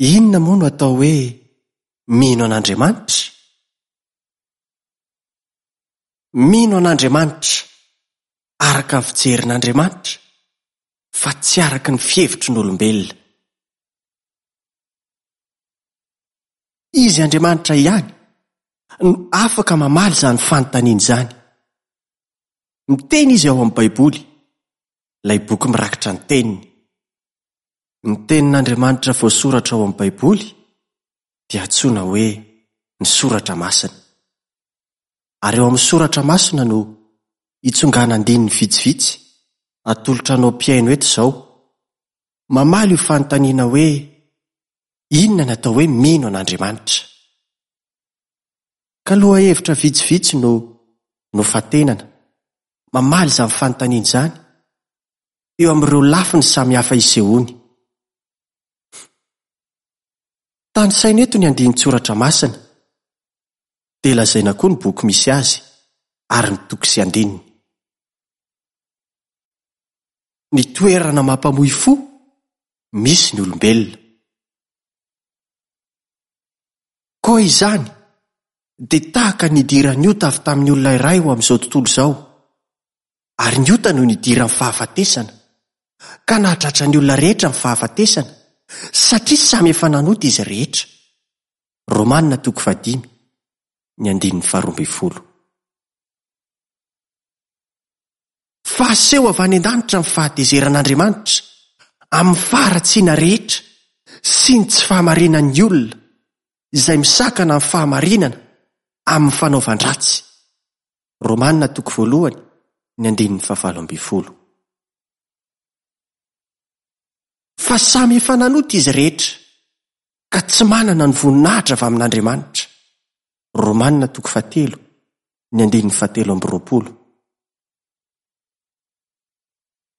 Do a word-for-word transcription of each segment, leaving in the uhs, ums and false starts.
Inona moa no atao hoe mino an'Andriamanitra? Mino an'Andriamanitra araka ny fijerin'Andriamanitra fa tsy araka ny fihevitry ny olombelona. Izy Andriamanitra ihany no afaka mamaly izany fanontaniana izany. Miteny izy ao amin'ny Baiboly, ilay boky mirakitra ny teniny. Ny tenin'Andriamanitra voasoratra ao amin'ny Baiboly dia antsoina hoe ny Soratra Masina. Ary eo amin'ny Soratra Masina no itsongana andininy vitsivitsy atolotra anao mpihaino eto izao. Mamaly io fanontaniana hoe inona no atao hoe mino an'Andriamanitra? Ka lohahevitra vitsivitsy no nofantenana mamaly izany fanontaniana izany eo amin'ireo lafiny samihafa isehoany. Tanisaina eto ny andinin-tsoratra masina, dia lazaina koa ny boky misy azy ary ny toko sy andininy. Ny toerana mampamoy fo misy ny olombelona. Koa izany dia tahaka ny nidiran'ny ota avy tamin'ny olona iray ho amin'izao tontolo izao, ary ny ota no nidiran'ny fahafatesana, ka nahatratra ny olona rehetra ny fahafatesana, satria samy efa nanota izy rehetra. Romanina toko fahadimy, ny andininy faharoa ambin'ny folo. Fa aseho avy any an-danitra ny fahatezeran'Andriamanitra amin'ny faharatsiana rehetra sy ny tsy fahamarinan'ny olona izay misakana ny fahamarinana amin'ny fanaovan-dratsy. Romanina toko voalohany, ny andininy fahavalo ambin'ny folo. Fa samy efa nanota izy rehetra ka tsy manana ny voninahitra avy amin'Andriamanitra. Romanina toko fahatelo, ny andininy fahatelo amby roapolo.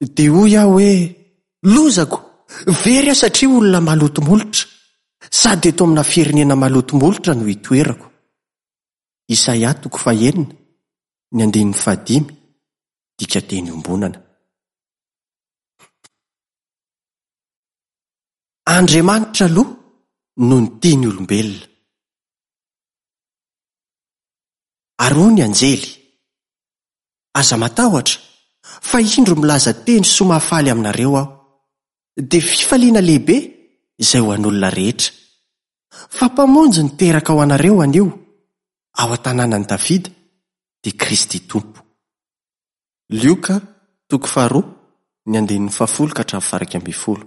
Dia hoy aho hoe, lozako, very aho satria olona maloto molotra, sady eto amina firenena maloto molotra no itoerako. Isaia toko fahenina, ny andininy fahadimy, dikateny iombonana. Andriamanitra aloha no nitia ny olombelona. Ary hoy ny anjely, aza matahotra, fa indro milaza teny soa mahafaly aminareo aho, dia fifaliana lehibe izay ho an'olona rehetra. Fa mpamonjy niteraka ho anareo anio, ao an-tanànan'i Davida, dia Kristy Tompo. Lioka toko faharoa, ny andininy fahafolo ka hatramin'ny faha-iraika ambin'ny folo.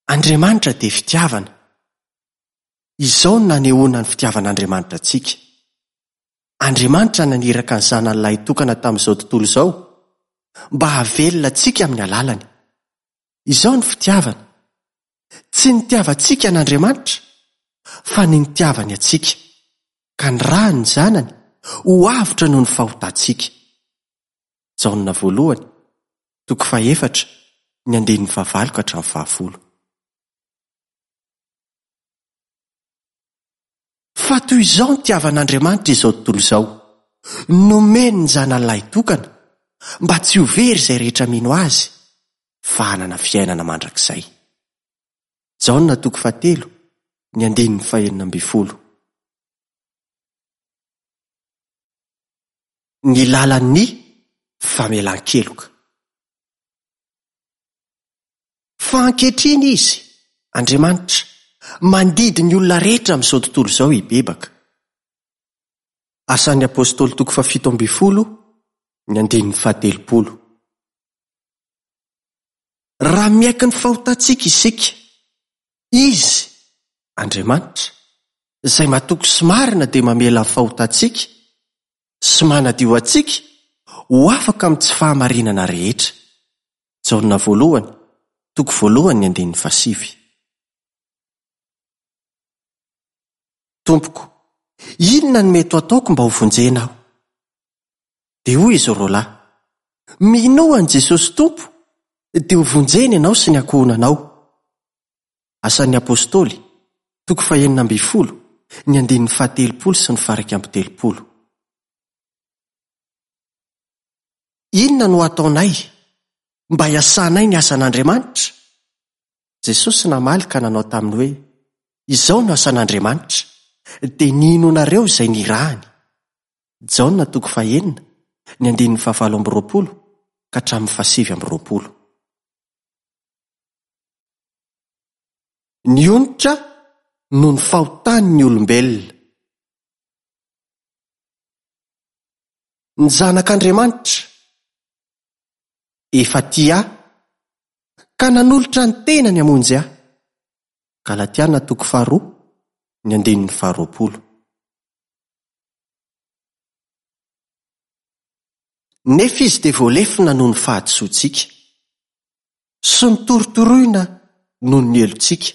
Andriamanitra dia fitiavana. Izao no nanehoana ny fitiavan'Andriamanitra antsika. Andriamanitra naniraka ny zanany lahitokana tamin'izao tontolo izao mba hahavelona antsika amin'ny alalany. Izao ny fitiavana. Tsy nitiavantsika an'Andriamanitra, fa ny nitiavany antsika, ka nirahany ny zanany ho avotra noho ny fahotantsika. Jaona voalohany, toko fahefatra, ny andininy fahavalo ka hatramin'ny fahafolo. Fa toy izao nitiavan'Andriamanitra izao tontolo izao, nomeny ny zanany lahitokana mba tsy ho very izay rehetra mino azy, fa hanana fiainana mandrakizay. Jaona toko fahatelo, ny andininy fahenina ambin'ny folo. Ny lalan'ny famelan-keloka. Fa ankehitriny izy, Andriamanitra, mandidy ny olona rehetra amin'izao tontolo izao hibebaka. Asan'ny Apôstôly toko fahafito ambin'ny folo, ny andininy fahatelopolo. Raha miaiky ny fahotantsika isika, izy, Andriamanitra, izay matoky sy marina dia mamela ny fahotantsika sy manadio antsika ho afaka amin'ny tsy fahamarinana rehetra. Jaona voalohany, toko voalohany ny andininy fahasivy. Tompoko, inona no mety ho ataoko mba ho vonjena aho? Dia hoy izy roalahy, minoa an'i Jesosy Tompo, dia ho vonjena ianao sy ny ankohonanao. Asan'ny Apôstôly, toko fahenina ambin'ny folo, ny andininy fahatelopolo sy ny faha-iraika amby telopolo. Inona no ataonay mba hiasanay ny asan'Andriamanitra? Jesosy namaly ka nanao taminy hoe: Izao no asan'Andriamanitra, dia ny hinoanareo izay nirahany. Jaona toko fahenina, ny andininy fahavalo amby roapolo ka hatramin'ny fahasivy amby roapolo. Ny onitra noho ny fahotan'ny olombelona. Ny zanak'Andriamanitra efa tia ahy ka nanolotra ny tenany hamonjy ahy. Galatiana toko faharoa, ny andininy faharoapolo. Nefa izy dia voalefona noho ny fahadisoantsika sy notorotoroina noho ny helotsika.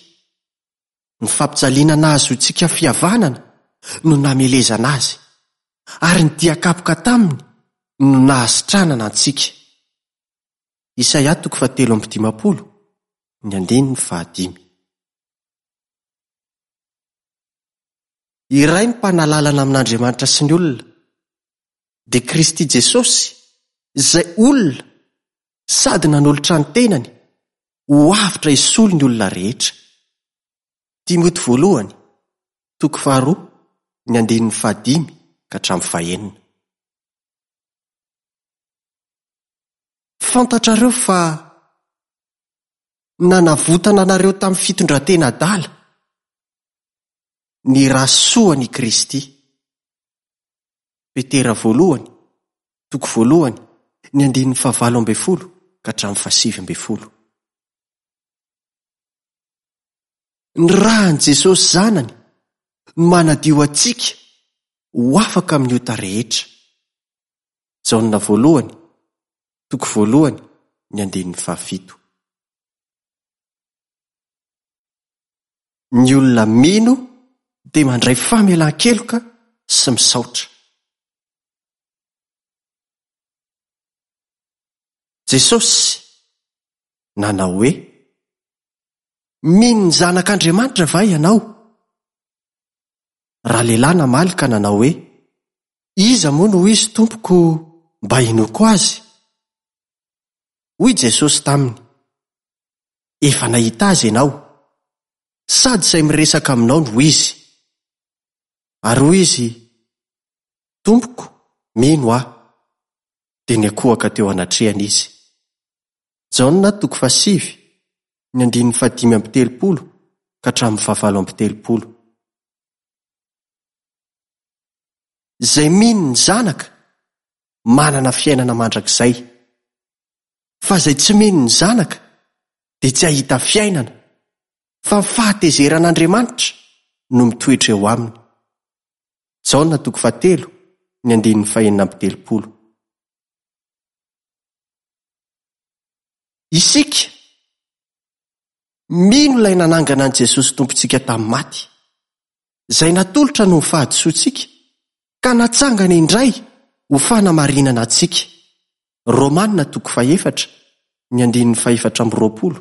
Ny fampijaliana nahazoantsika fihavanana no namelezana azy, ary ny dian-kapoka taminy no nahasitranana antsika. Isaia toko fahatelo amby dimampolo, ny andininy fahadimy. Iray ny mpanalalana amin'Andriamanitra sy ny olona, dia Kristy Jesosy, izay olona sady nanolotra ny tenany ho avotra hisolo ny olona rehetra. Timoty voalohany, toko faharoa, ny andininy fahadimy ka hatramin'ny fahenina. Fantatrareo fa nanavotana anareo tamin'ny fitondran-tena adala ny ra soan'i Kristy. Petera voalohany, toko voalohany, ny andininy fahavalo ambin'ny folo ka hatramin'ny fahasivy ambin'ny folo. Ny ran'i Jesosy Zanany no manadio antsika ho afaka amin'ny ota rehetra. Jaona voalohany, toko voalohany, ny andininy fahafito. Ny olona mino dia mandray famelan-keloka sy misaotra. Jesosy nanao hoe: Mino ny zanak'Andriamanitra va ianao? Raha lehilahy namaly ka nanao hoe: Iza moa no izy tompoko mba hinoako azy? Hoy Jesosy taminy: Efa nahita azy ianao, sady izay miresaka aminao no izy. Ary hoy izy: Tompoko, mino aho. Dia niankohoka teo anatrehany izy. Jaona toko fahasivy, ny andininy fahadimy amby telopolo ka hatramin'ny fahavalo amby telopolo. Izay mino ny zanaka manana fiainana mandrakizay, fa izay tsy mino ny zanaka dia tsy hahita fiainana, fa ny fahatezeran'Andriamanitra no mitoetra eo aminy. Jaona toko fahatelo, ny andininy fahenina amby telopolo. Isika mino ilay nanangana an'i Jesosy Tompontsika tamin'ny maty, izay natolotra noho ny fahadisoantsika ka natsangana indray ho fanamarinana antsika. Romana toko fahefatra, ny andininy fahefatra amby roapolo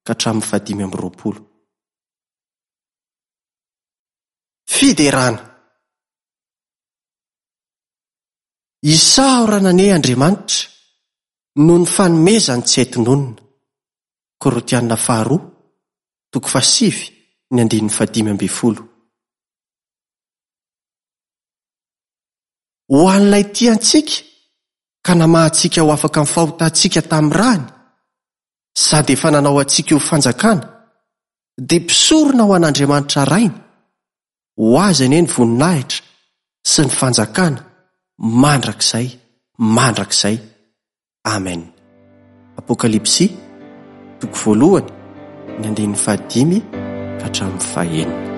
ka hatramin'ny fahadimy amby roapolo. Fiderana. Isaorana anie Andriamanitra noho ny fanomezany tsy hay tononina. Korintiana faharoa, toko fahasivy, ny andininy fahadimy ambin'ny folo. Ho an'ilay tia antsika ka namahantsika ho afaka amin'ny fahotantsika tamin'ny rany, sady efa nanao antsika ho fanjakana, dia mpisorona ho an'Andriamanitra Rainy, ho azy anie ny voninahitra sy ny fanjakana mandrakizay mandrakizay. Amen. Apokalypsy, toko voalohany, ny andininy fahadimy ka hatramin'ny fahenina.